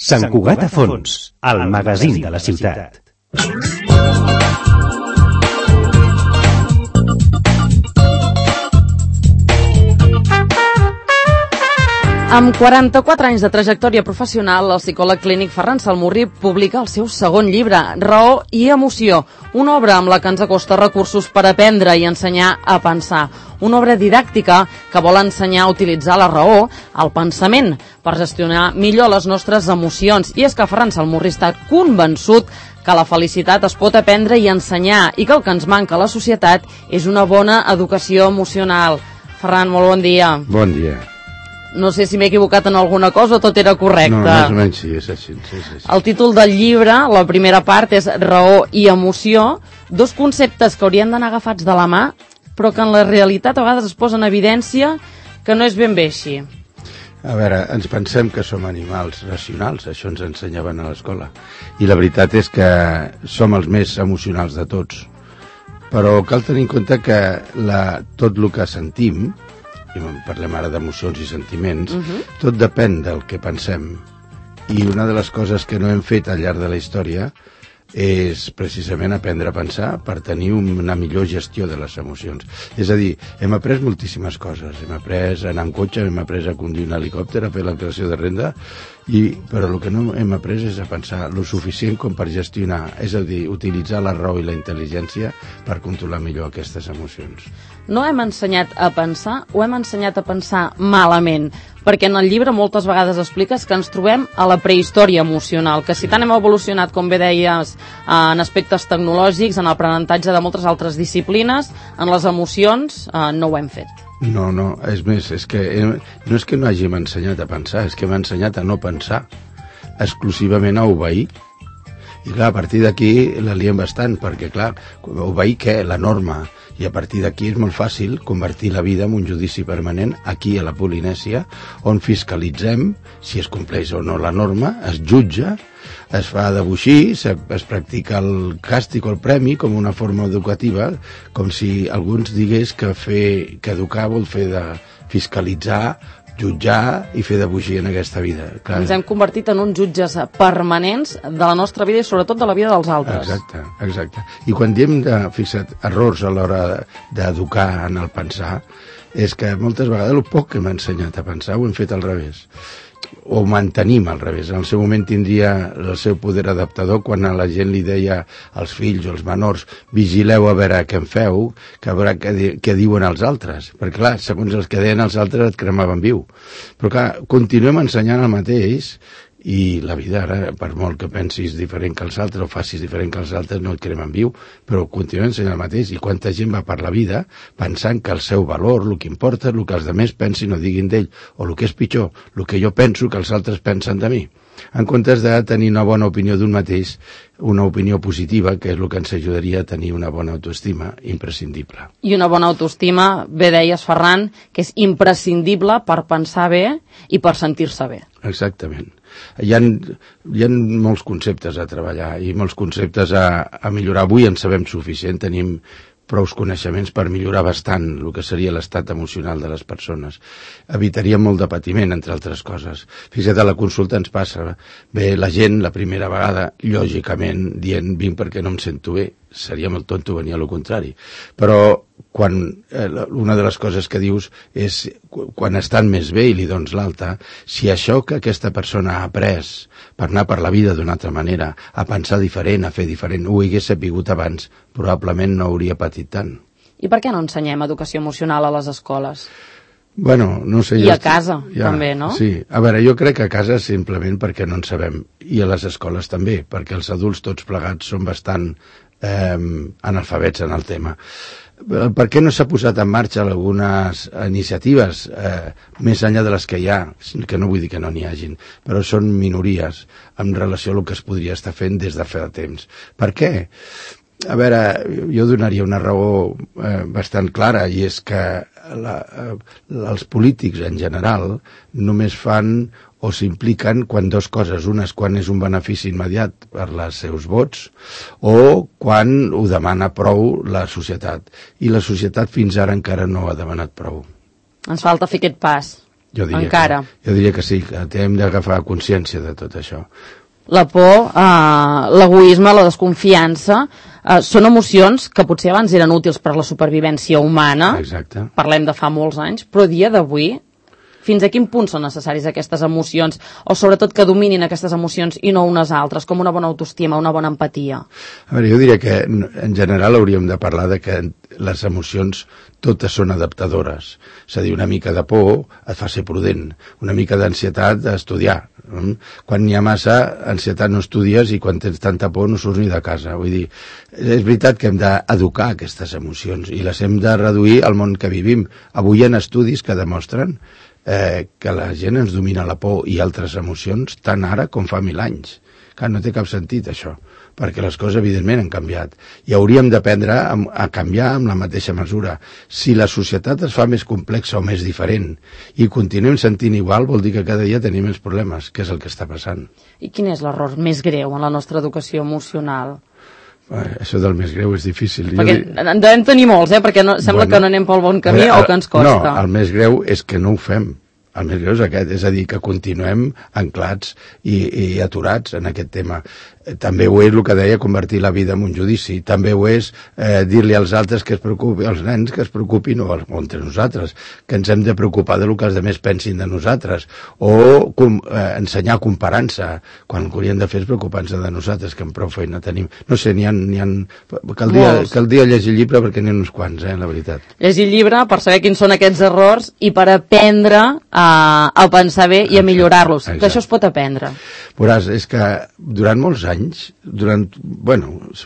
Sant Cugat a fons, el magazín de la ciutat. Amb 44 anys de trajectòria professional, el psicòleg clínic Ferran Salmurri publica el seu segon llibre, Raó i emoció, una obra amb la que ens acosta recursos per aprendre i ensenyar a pensar. Una obra didàctica que vol ensenyar a utilitzar la raó, el pensament, per gestionar millor les nostres emocions. I és que Ferran Salmurri està convençut que la felicitat es pot aprendre i ensenyar i que el que ens manca a la societat és una bona educació emocional. Ferran, molt bon dia. Bon dia. No sé si m'he equivocat en alguna cosa o tot era correcte. No, més o menys sí, és així. Sí. El títol del llibre, la primera part, és Raó i emoció, dos conceptes que haurien d'anar agafats de la mà, però que en la realitat a vegades es posa en evidència que no és ben bé així. A veure, ens pensem que som animals racionals, això ens ensenyaven a l'escola, i la veritat és que som els més emocionals de tots. Però cal tenir en compte que tot el que sentim, i parlem ara d'emocions i sentiments, tot depèn del que pensem. I una de les coses que no hem fet al llarg de la història és precisament aprendre a pensar per tenir una millor gestió de les emocions. És a dir, hem après moltíssimes coses. Hem après a anar amb cotxe, hem après a conduir un helicòpter, a fer la declaració de renda, però el que no hem après és a pensar lo suficient com per gestionar, és a dir, utilitzar la raó i la intel·ligència per controlar millor aquestes emocions. No hem ensenyat a pensar o hem ensenyat a pensar malament? Perquè en el llibre moltes vegades expliques que ens trobem a la prehistòria emocional, que si tant hem evolucionat, com bé deies, en aspectes tecnològics, en l'aprenentatge de moltes altres disciplines, en les emocions no ho hem fet. No, és més, no és que no hàgim ensenyat a pensar, és que hem ensenyat a no pensar, exclusivament a obeir. I clar, a partir d'aquí la liem bastant, perquè clar, obeir què? La norma. I a partir d'aquí és molt fàcil convertir la vida en un judici permanent aquí a la Polinèsia, on fiscalitzem si es compleix o no la norma, es jutja, es fa debuixir, es practica el càstig o el premi com una forma educativa, com si algú ens digués que educar vol fer de fiscalitzar, jutjar i fer debuixir en aquesta vida. Clar. Ens hem convertit en uns jutges permanents de la nostra vida i sobretot de la vida dels altres. Exacte. I quan diem, fixa't, errors a l'hora d'educar en el pensar, és que moltes vegades el poc que hem ensenyat a pensar ho hem fet al revés. O mantenim al revés. En el seu moment tindria el seu poder adaptador quan a la gent li deia als fills o als menors vigileu a veure què en feu, que a veure què diuen els altres, perquè clar, segons els que deien els altres et cremaven viu. Però clar, continuem ensenyant el mateix i la vida ara, per molt que pensis diferent que els altres o facis diferent que els altres, no et cremen viu, però continuem ensenyant el mateix. I quanta gent va per la vida pensant que el seu valor, el que importa, el que els altres pensin o diguin d'ell, o el que és pitjor, el que jo penso que els altres pensen de mi, en comptes de tenir una bona opinió d'un mateix, una opinió positiva, que és el que ens ajudaria a tenir una bona autoestima imprescindible. I una bona autoestima, bé deies, Ferran, que és imprescindible per pensar bé i per sentir-se bé. Exactament. Hi ha molts conceptes a treballar i molts conceptes a millorar. Avui en sabem suficient, tenim prou coneixements per millorar bastant el que seria l'estat emocional de les persones. Evitaríem molt de patiment, entre altres coses. Fixa't, a la consulta ens passa. Bé, la gent, la primera vegada, lògicament, dient vinc perquè no em sento bé. Seria molt tonto venir a lo contrari. Però quan una de les coses que dius és quan estan més bé i li dones l'alta, si això que aquesta persona ha après per anar per la vida d'una altra manera, a pensar diferent, a fer diferent, ho hagués sapigut abans, probablement no hauria patit tant. I per què no ensenyem educació emocional a les escoles? Bueno, no sé... I a casa, també, no? Sí. A veure, jo crec que a casa simplement perquè no en sabem. I a les escoles també, perquè els adults tots plegats són bastant analfabets en el tema. Per què no s'ha posat en marxa algunes iniciatives més enllà de les que hi ha, que no vull dir que no n'hi hagin, però són minories en relació a el que es podria estar fent des de fa temps. Per què? A veure, jo donaria una raó bastant clara, i és que els polítics en general només fan o s'impliquen quan dues coses. Una és quan és un benefici immediat per als seus vots o quan ho demana prou la societat. I la societat fins ara encara no ha demanat prou. Ens falta fer aquest pas. Jo diria encara. Jo diria que sí, que hem d'agafar consciència de tot això. La por, l'egoisme, la desconfiança, són emocions que potser abans eren útils per a la supervivència humana. Exacte. Parlem de fa molts anys, però a dia d'avui, fins a quin punt són necessàries aquestes emocions, o sobretot que dominin aquestes emocions i no unes altres, com una bona autoestima, una bona empatia? A veure, jo diria que en general hauríem de parlar de que les emocions totes són adaptadores. És a dir, una mica de por et fa ser prudent, una mica d'ansietat d'estudiar. Quan n'hi ha massa ansietat no estudies i quan tens tanta por no surts ni de casa. Vull dir, és veritat que hem d'educar aquestes emocions i les hem de reduir al món que vivim. Avui hi ha estudis que demostren que la gent ens domina la por i altres emocions tant ara com fa 1000 anys. Clar, no té cap sentit això, perquè les coses evidentment han canviat i hauríem d'aprendre a canviar amb la mateixa mesura. Si la societat es fa més complexa o més diferent i continuem sentint igual, vol dir que cada dia tenim més problemes, que és el que està passant. I quin és l'error més greu en la nostra educació emocional? Això del més greu és difícil. Perquè en devem tenir molts, perquè sembla que no anem pel bon camí o que ens costa. No, el més greu és que no ho fem. El més greu és aquest, és a dir, que continuem anclats i aturats en aquest tema. També ho és el que deia convertir la vida en un judici, també ho és dir-li als altres que es preocupin, als nens que es preocupin, o entre nosaltres, que ens hem de preocupar de lo que els altres pensin de nosaltres, o ensenyar comparant-se, quan hauríem de fer és preocupar-se de nosaltres, que amb prou feina tenim. No sé, caldria llegir llibre perquè n'hi ha uns quants, la veritat. Llegir llibre per saber quins són aquests errors i per aprendre a pensar bé i a millorar-los, que això es pot aprendre. Veuràs, és que durant molts anys, durant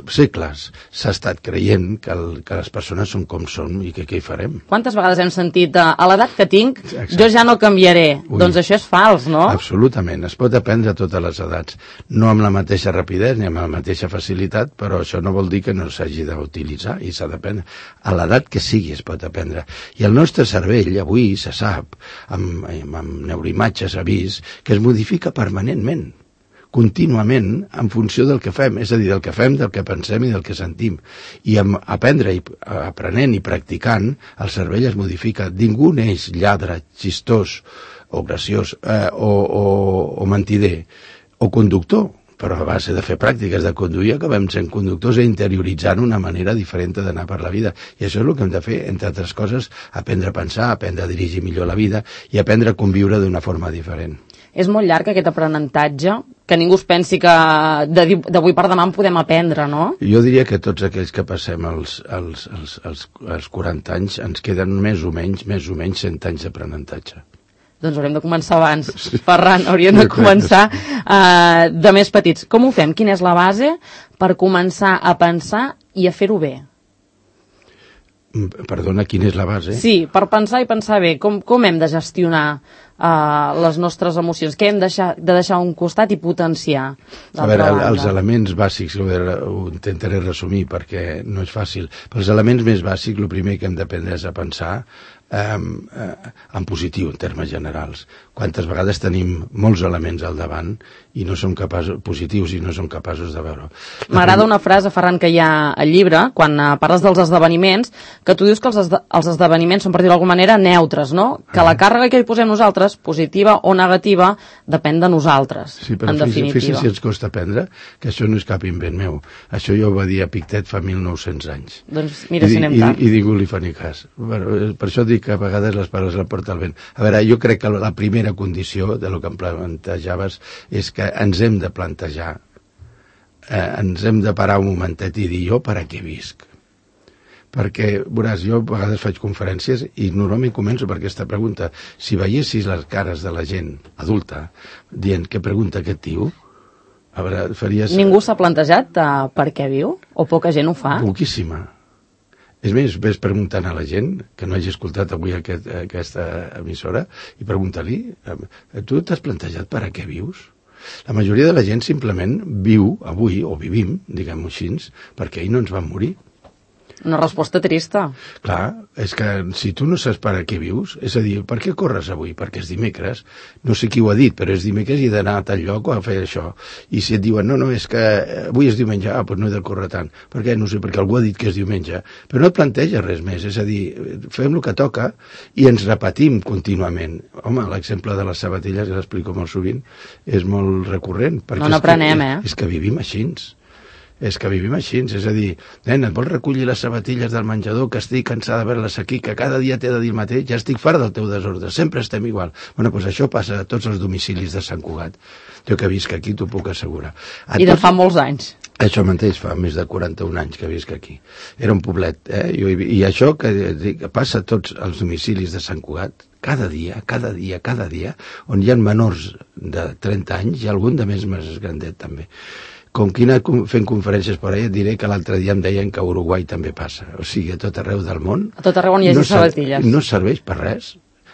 segles, s'ha estat creient que les persones són com són i que què hi farem. Quantes vegades hem sentit a l'edat que tinc, jo ja no canviaré? Doncs això és fals, no? Absolutament, es pot aprendre a totes les edats, no amb la mateixa rapidesa ni amb la mateixa facilitat, però això no vol dir que no s'hagi d'utilitzar i s'ha d'aprendre. A l'edat que sigui es pot aprendre. I el nostre cervell avui se sap, amb neuroimatges s'ha vist, que es modifica permanentment, contínuament, en funció del que fem, és a dir, del que fem, del que pensem i del que sentim. I aprenent i practicant, el cervell es modifica. Ningú neix lladre, xistós, o graciós, o mentider, o conductor, però a base de fer pràctiques de conduir acabem sent conductors i interioritzant una manera diferent d'anar per la vida. I això és el que hem de fer, entre altres coses, aprendre a pensar, aprendre a dirigir millor la vida i aprendre a conviure d'una forma diferent. És molt llarg aquest aprenentatge, que ningú es pensi que d'avui per demà en podem aprendre, no? Jo diria que tots aquells que passem els 40 anys ens queden més o menys 100 anys d'aprenentatge. Doncs haurem de començar abans, Ferran, hauríem de començar de més petits. Com ho fem? Quina és la base per començar a pensar i a fer-ho bé? Perdona, quina és la base? Sí, per pensar i pensar bé. Com hem de gestionar les nostres emocions? Què hem de deixar a un costat i potenciar? A veure, els elements bàsics, ho intentaré resumir perquè no és fàcil, però els elements més bàsics, el primer que hem d'aprendre és a pensar en positiu, en termes generals. Quantes vegades tenim molts elements al davant i no som capaços, positius, i no som capaços de veure. M'agrada una frase, Ferran, que hi ha al llibre, quan parles dels esdeveniments, que tu dius que els esdeveniments són, per dir-ho d'alguna manera, neutres, no? Que la càrrega que hi posem nosaltres, positiva o negativa, depèn de nosaltres, en definitiva. Fixa si ens costa aprendre que això no és cap invent meu. Això jo ho va dir a Pictet fa 1900 anys. Doncs mira si anem tard. I ningú li fa ni cas. Per això dic que a vegades les paraules la porta el vent. A veure, jo crec que la primera condició de lo que em plantejaves és que ens hem de plantejar, ens hem de parar un momentet i dir jo per a què visc. Perquè, veuràs, jo a vegades faig conferències i normalment començo per aquesta pregunta. Si veiessis les cares de la gent adulta dient què pregunta aquest tio, a veure, faries... Ningú s'ha plantejat per què viu? O poca gent ho fa? Poquíssima. És més, ves preguntant a la gent que no hagi escoltat avui aquesta emissora i pregunta-li, tu t'has plantejat per a què vius? La majoria de la gent simplement viu avui, o vivim, diguem-ho així, perquè ahir no ens vam morir. Una resposta trista. Clar, és que si tu no saps per a què vius, és a dir, per què corres avui? Perquè és dimecres. No sé qui ho ha dit, però és dimecres i he d'anar a tal lloc o a fer això. I si et diuen, no, és que avui és diumenge, doncs no he de córrer tant. Per què? No sé, perquè algú ha dit que és diumenge. Però no et planteja res més, és a dir, fem el que toca i ens repetim contínuament. Home, l'exemple de les sabatilles, que l'explico molt sovint, és molt recurrent. No n'aprenem, És que vivim així. És que vivim així, és a dir, nena, et vols recollir les sabatilles del menjador, que estic cansada de veure-les aquí, que cada dia t'he de dir el mateix, ja estic fart del teu desordre, sempre estem igual. Bueno, doncs això passa a tots els domicilis de Sant Cugat. Jo que visc aquí t'ho puc assegurar. I de fa molts anys. Això mateix, fa més de 41 anys que visc aquí. Era un poblet, I això que passa a tots els domicilis de Sant Cugat, cada dia, on hi ha menors de 30 anys i algun de més grandet també. Com que he anat fent conferències per allà, et diré que l'altre dia em deien que a Uruguai també passa. O sigui, a tot arreu del món... A tot arreu on hi hagi sabatilles. No serveix per res,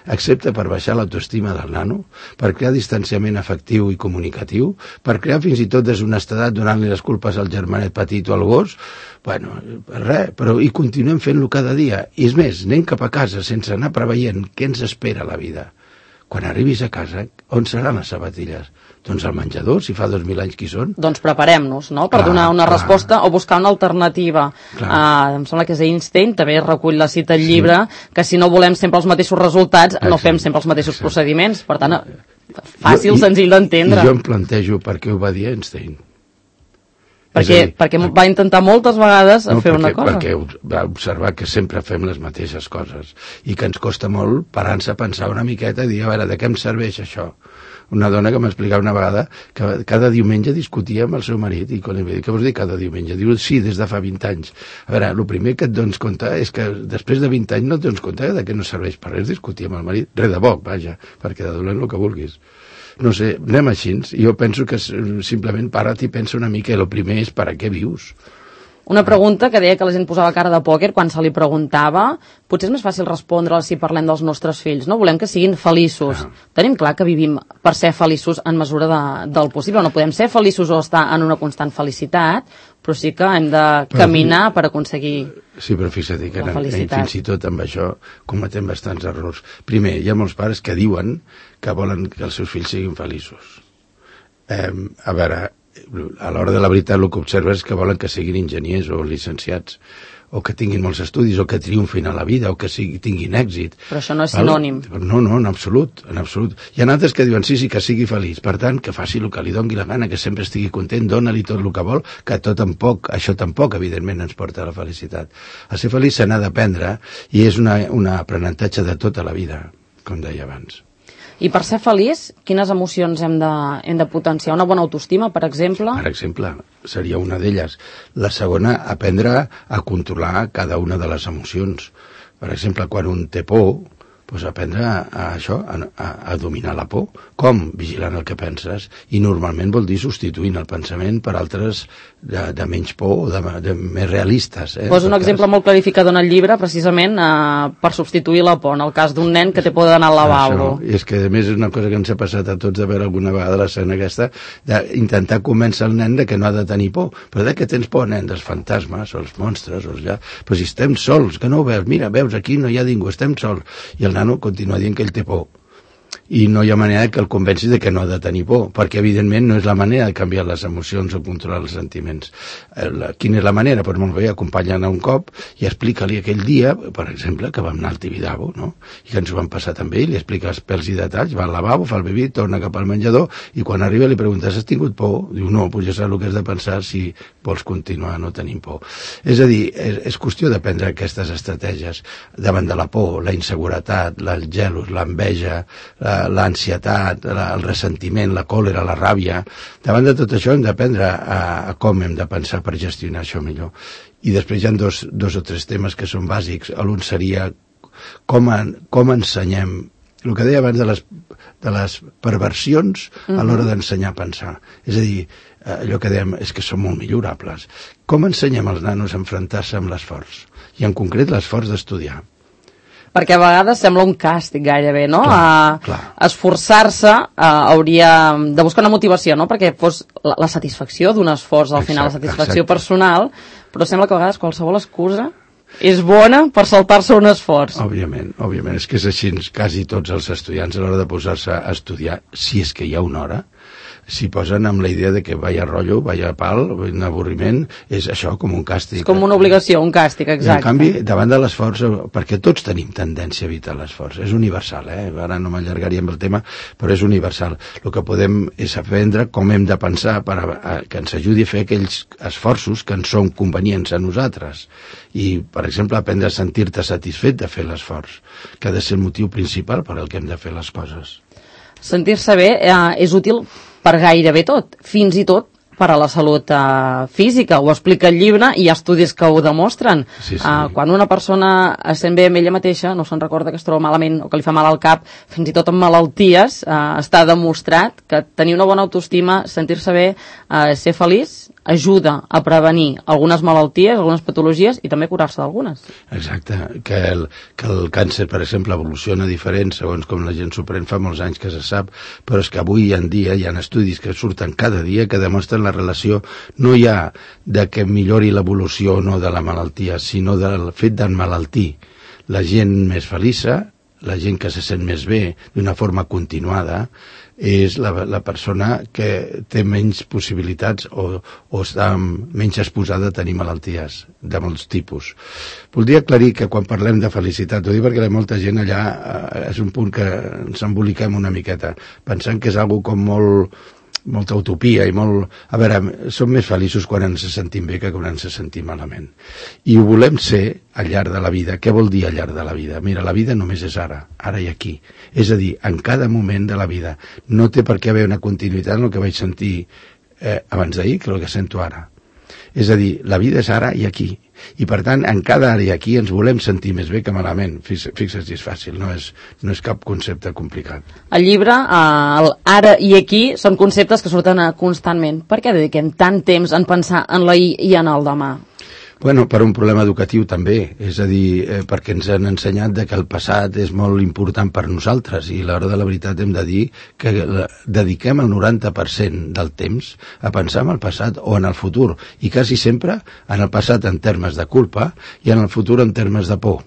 excepte per baixar l'autoestima del nano, per crear distanciament afectiu i comunicatiu, per crear fins i tot deshonestedat donant-li les culpes al germanet petit o al gos. Bueno, res, però hi continuem fent-lo cada dia. I és més, anem cap a casa sense anar preveient què ens espera la vida. Quan arribis a casa, on seran les sabatilles? Doncs al menjador, si fa 2.000 anys que hi són. Doncs preparem-nos, no?, per donar una resposta o buscar una alternativa. Em sembla que és Einstein, també recull la cita al llibre, que si no volem sempre els mateixos resultats, no fem sempre els mateixos procediments. Per tant, fàcil, senzill d'entendre. I jo em plantejo per què ho va dir Einstein. Perquè va intentar moltes vegades fer una cosa. Perquè va observar que sempre fem les mateixes coses i que ens costa molt parar-nos a pensar una miqueta i dir, a veure, de què em serveix això? Una dona que m'explicava una vegada que cada diumenge discutia amb el seu marit i quan li va dir, què vols dir cada diumenge? Diu, sí, des de fa 20 anys. A veure, el primer que et dones compte és que després de 20 anys no et dones compte de que no serveix per res discutir amb el marit, res de bo, vaja, perquè de dolent el que vulguis. No sé, anem així. Jo penso que simplement para't i pensa una mica i el primer és per a què vius. Una pregunta que deia que la gent posava cara de pòquer quan se li preguntava. Potser és més fàcil respondre si parlem dels nostres fills, no? Volem que siguin feliços. Tenim clar que vivim per ser feliços en mesura del possible. No podem ser feliços o estar en una constant felicitat, però sí que hem de caminar per aconseguir sí, però fixa't que fins i tot amb això cometem bastants errors. Primer, hi ha molts pares que diuen que volen que els seus fills siguin feliços. A veure, a l'hora de la veritat el que observes és que volen que siguin enginyers o licenciats o que tinguin molts estudis o que triomfin a la vida o que tinguin èxit. Però això no és sinònim. No, en absolut, en absolut. Hi ha altres que diuen sí, que sigui feliç, per tant, que faci el que li doni la gana, que sempre estigui content, dona-li tot el que vol, que això tampoc, evidentment, ens porta a la felicitat. A ser feliç se n'ha d'aprendre i és un aprenentatge de tota la vida, com deia abans. I per ser feliç, quines emocions hem de potenciar? Una bona autoestima, per exemple? Per exemple, seria una d'elles. La segona, aprendre a controlar cada una de les emocions. Per exemple, quan un té por, doncs aprendre a dominar la por. Com? Vigilant el que penses. I normalment vol dir substituint el pensament per altres de menys por o de més realistes. Posa un exemple molt clarificador en el llibre, precisament per substituir la por, en el cas d'un nen que té por d'anar al lavabo. I és que, a més, és una cosa que ens ha passat a tots de veure alguna vegada l'escena aquesta, d'intentar convèncer el nen de que no ha de tenir por. Però de què tens por, nen? Dels fantasmes o els monstres o ja... Però si estem sols, que no ho veus? Mira, veus, aquí no hi ha ningú, estem sols. I el nano continua dient que ell té por. I no hi ha manera que el convenci de que no ha de tenir por, perquè evidentment no és la manera de canviar les emocions o controlar els sentiments. Quina és la manera? Doncs molt bé, acompanyant a un cop i explica-li aquell dia, per exemple, que vam anar al Tibidabo, no? I que ens ho vam passar també, i li explica els pèls i detalls, va al lavabo, fa el bebí, torna cap al menjador, i quan arriba li preguntes, has tingut por? Diu, no, doncs ja saps el que has de pensar si vols continuar no tenint por. És a dir, és qüestió d'aprendre aquestes estratègies davant de la por, la inseguretat, el gelos, l'enveja, l'ansietat, el ressentiment, la còlera, la ràbia. Davant de tot això hem d'aprendre a com hem de pensar per gestionar això millor. I després hi ha dos o tres temes que són bàsics. L'un seria com ensenyem, el que deia abans de les perversions a l'hora d'ensenyar a pensar. És a dir, allò que dèiem és que són molt millorables. Com ensenyem als nanos a enfrontar-se amb l'esforç? I en concret l'esforç d'estudiar. Perquè a vegades sembla un càstig gairebé, no? Clar. Esforçar-se hauria de buscar una motivació, no? Perquè fos la satisfacció d'un esforç, al final, la satisfacció personal, però sembla que a vegades qualsevol excusa és bona per saltar-se un esforç. Òbviament, és que és així, quasi tots els estudiants a l'hora de posar-se a estudiar, si és que hi ha una hora, s'hi posen amb la idea de que vaya rotllo, vaya pal, un avorriment, és això com un càstig. És com una obligació, un càstig, exacte. I en canvi, davant de l'esforç, perquè tots tenim tendència a evitar l'esforç, és universal, ara no m'allargaríem el tema, però és universal. El que podem és aprendre com hem de pensar que ens ajudi a fer aquells esforços que ens són convenients a nosaltres. I, per exemple, aprendre a sentir-te satisfet de fer l'esforç, que ha de ser el motiu principal per al que hem de fer les coses. Sentir-se bé és útil per gairebé tot, fins i tot per a la salut física. Ho explica el llibre i hi ha estudis que ho demostren. Sí. Quan una persona es sent bé amb ella mateixa, no se'n recorda que es troba malament o que li fa mal al cap, fins i tot amb malalties, està demostrat que tenir una bona autoestima, sentir-se bé, ser feliç, ajuda a prevenir algunes malalties, algunes patologies i també curar-se d'algunes. Exacte, que el càncer, per exemple, evoluciona diferent segons com la gent s'ho pren, fa molts anys que se sap, però és que avui en dia hi ha estudis que surten cada dia que demostren la relació no ja de que millori l'evolució o no de la malaltia, sinó del fet d'emmalaltir. La gent més feliça, la gent que se sent més bé d'una forma continuada, és la persona que té menys possibilitats o està menys exposada a tenir malalties de molts tipus. Voldria aclarir que quan parlem de felicitat, ho dic perquè molta gent allà és un punt que ens emboliquem una miqueta, pensant que és algo com molta utopia i molt... A veure, som més feliços quan ens sentim bé que quan ens sentim malament. I ho volem ser al llarg de la vida. Què vol dir al llarg de la vida? Mira, la vida només és ara i aquí. És a dir, en cada moment de la vida. No té per què haver una continuïtat en el que vaig sentir abans d'ahir que el que sento ara. És a dir, la vida és ara i aquí. I per tant, en cada ara i aquí ens volem sentir més bé que malament. Fixa't, és fàcil, no és cap concepte complicat. El llibre, el ara i aquí, són conceptes que surten constantment. Per què dediquem tant temps en pensar en l'ahir i en el demà? Bueno, per un problema educatiu també, és a dir, perquè ens han ensenyat que el passat és molt important per nosaltres i a l'hora de la veritat hem de dir que dediquem el 90% del temps a pensar en el passat o en el futur i quasi sempre en el passat en termes de culpa i en el futur en termes de por.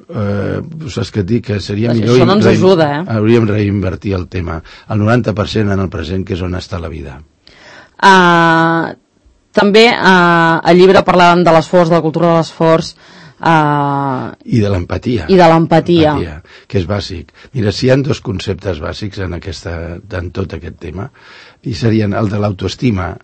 Saps què et dic? Que seria millor... Això no ens ajuda, Hauríem de reinvertir el tema. El 90% en el present, que és on està la vida. També al llibre parlàvem de l'esforç, de la cultura de l'esforç... I de l'empatia. Que és bàsic. Mira, si hi ha dos conceptes bàsics en tot aquest tema, i serien el de l'autoestima,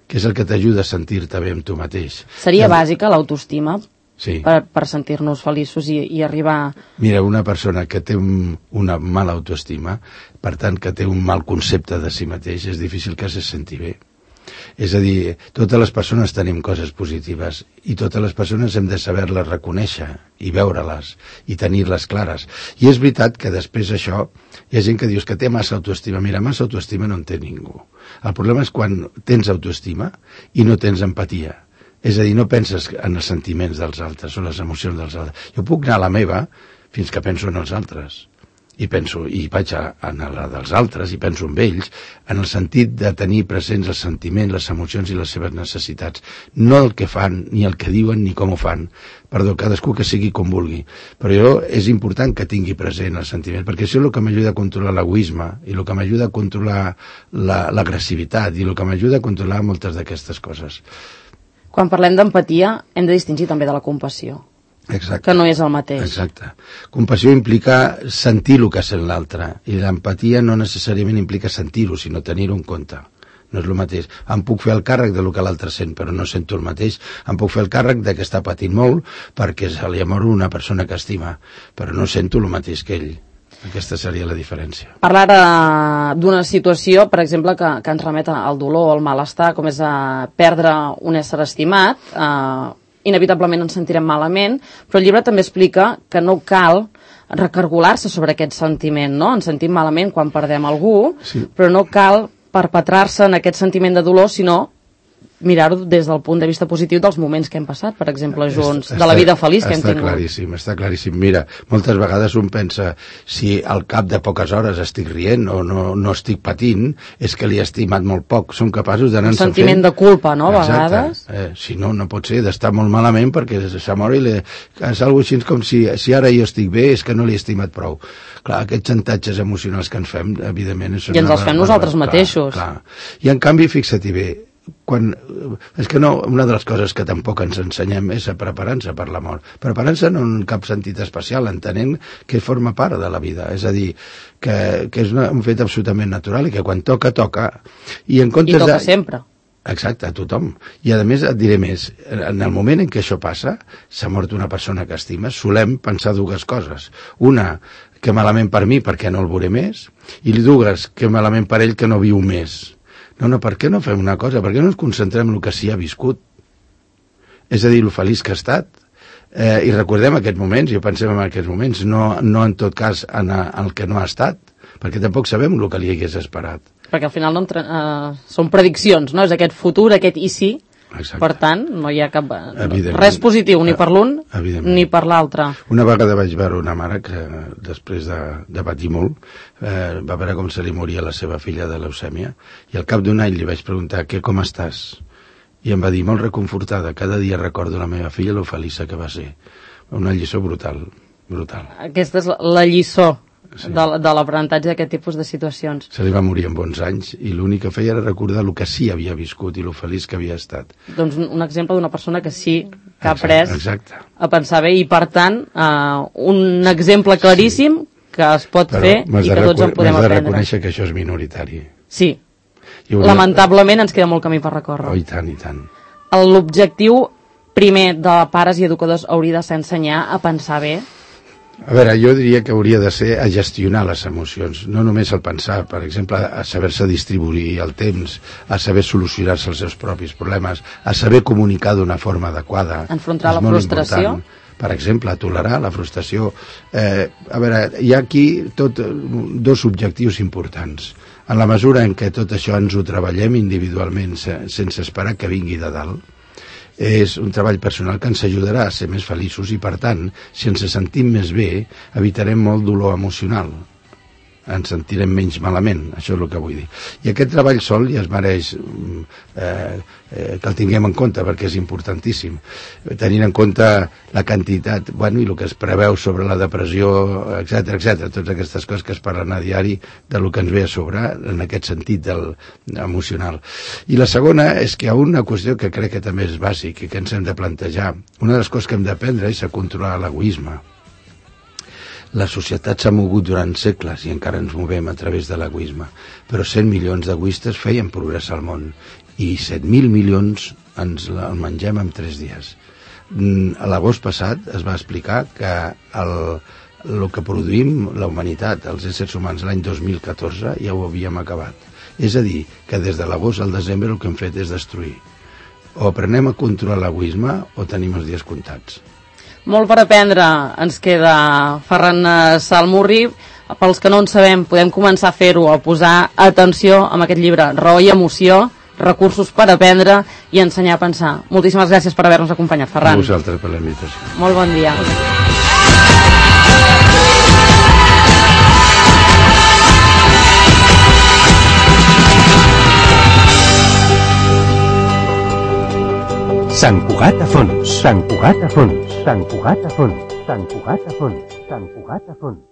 que és el que t'ajuda a sentir-te bé amb tu mateix. Seria bàsica l'autoestima? Sí. Per sentir-nos feliços i arribar... Mira, una persona que té una mala autoestima, per tant, que té un mal concepte de si mateix, és difícil que se senti bé. És a dir, totes les persones tenim coses positives i totes les persones hem de saber-les reconèixer i veure-les i tenir-les clares. I és veritat que després d'això hi ha gent que dius que té massa autoestima. Mira, massa autoestima no en té ningú. El problema és quan tens autoestima i no tens empatia. És a dir, no penses en els sentiments dels altres o les emocions dels altres. Jo puc anar a la meva fins que penso en els altres. I vaig a la dels altres i penso en ells, en el sentit de tenir presents els sentiments, les emocions i les seves necessitats. No el que fan, ni el que diuen, ni com ho fan. Perdó, cadascú que sigui com vulgui. Però és important que tingui present el sentiment, perquè això és el que m'ajuda a controlar l'egoisme, i el que m'ajuda a controlar l'agressivitat, i el que m'ajuda a controlar moltes d'aquestes coses. Quan parlem d'empatia, hem de distingir també de la compassió. Exacte. Que no és el mateix. Exacte. Compassió implica sentir el que sent l'altre, i l'empatia no necessàriament implica sentir-ho, sinó tenir-ho en compte. No és el mateix. Em puc fer el càrrec de lo que l'altre sent, però no sento el mateix. Em puc fer el càrrec de que està patint molt perquè se li ha mort una persona que estima, però no sento el mateix que ell. Aquesta seria la diferència. Parlar d'una situació, per exemple, que ens remet al dolor, al malestar, com és perdre un ésser estimat, inevitablement ens sentirem malament, però el llibre també explica que no cal recargolar-se sobre aquest sentiment, no? Ens sentim malament quan perdem algú, sí. Però no cal perpetrar-se en aquest sentiment de dolor, sinó mirar-ho des del punt de vista positiu dels moments que hem passat, per exemple, junts, de la vida feliç que hem tingut. Està claríssim. Mira, moltes vegades un pensa, si al cap de poques hores estic rient o no estic patint, és que li he estimat molt poc. Som capaços d'anar-nos fent... Un sentiment de culpa, no?, a vegades. Si no, no pot ser, d'estar molt malament perquè s'ha mort i és algo així com si ara jo estic bé és que no l'he estimat prou. Clar, aquests xantatges emocionals que ens fem, evidentment... I ens els fem nosaltres mateixos. Clar. I en canvi, fixa-t'hi bé, és que no, una de les coses que tampoc ens ensenyem és a preparar-nos per la mort. Preparar-nos no en cap sentit especial, entenent que forma part de la vida. És a dir, que és un fet absolutament natural i que quan toca, toca. I toca sempre. Exacte, a tothom. I a més et diré més, en el moment en què això passa, s'ha mort una persona que estimes, solem pensar dues coses. Una, que malament per mi perquè no el veuré més, i dues, que malament per ell que no viu més. No, per què no fem una cosa? Per què no ens concentrem en el que s'hi ha viscut? És a dir, el feliç que ha estat. I recordem aquests moments, i pensem en aquests moments, no en tot cas en el que no ha estat, perquè tampoc sabem el que li hagués esperat. Perquè al final són prediccions, no? És aquest futur, aquest i sí. Exacte. Per tant, no hi ha res positiu ni per l'un ni per l'altre. Una vegada vaig veure una mare que després de patir molt va veure com se li moria la seva filla de leucèmia i al cap d'un any li vaig preguntar com estàs? I em va dir molt reconfortada, cada dia recordo la meva filla lo feliça que va ser. Una lliçó brutal. Aquesta és la lliçó de l'aprenentatge d'aquest tipus de situacions. Se li va morir en bons anys i l'únic que feia era recordar el que sí havia viscut i el feliç que havia estat. Doncs un exemple d'una persona que sí que ha après exacte. A pensar bé i per tant un exemple claríssim que es pot fer i que tots en podem aprendre. M'has de reconèixer que això és minoritari. Sí. Lamentablement ens queda molt camí per recórrer. Oh, i tant, i tant. L'objectiu primer de pares i educadors hauria de ser ensenyar a pensar bé. A veure, jo diria que hauria de ser a gestionar les emocions, no només al pensar, per exemple, a saber-se distribuir el temps, a saber solucionar-se els seus propis problemes, a saber comunicar d'una forma adequada. Enfrontar la frustració. Per exemple, a tolerar la frustració. A veure, hi ha aquí dos objectius importants. En la mesura en què tot això ens ho treballem individualment sense esperar que vingui de dalt, és un treball personal que ens ajudarà a ser més feliços i, per tant, si ens sentim més bé, evitarem molt dolor emocional. Ens sentirem menys malament, això és el que vull dir. I aquest treball sol ja es mereix que el tinguem en compte, perquè és importantíssim. Tenint en compte la quantitat, i el que es preveu sobre la depressió, etc, totes aquestes coses que es parlen a diari del que ens ve a sobre, en aquest sentit emocional. I la segona és que hi ha una qüestió que crec que també és bàsic i que ens hem de plantejar. Una de les coses que hem d'aprendre és a controlar l'egoisme. La societat s'ha mogut durant segles i encara ens movem a través de l'egoisme, però 100 milions d'egoistes feien progressar el món i 7.000 milions ens el mengem en 3 dies. A l'agost passat es va explicar que el que produïm la humanitat, els éssers humans, l'any 2014 ja ho havíem acabat. És a dir, que des de l'agost al desembre el que hem fet és destruir. O aprenem a controlar l'egoisme o tenim els dies comptats. Molt per aprendre ens queda, Ferran Salmurri. Pels que no en sabem, podem començar a fer-ho, a posar atenció amb aquest llibre, Raó i emoció, recursos per aprendre i ensenyar a pensar. Moltíssimes gràcies per haver-nos acompanyat, Ferran. A vosaltres per la invitació. Molt bon dia. Sant Cugat a fons, Sant Cugat a fons, Sant Cugat a fons, Sant Cugat a fons, Sant Cugat a fons.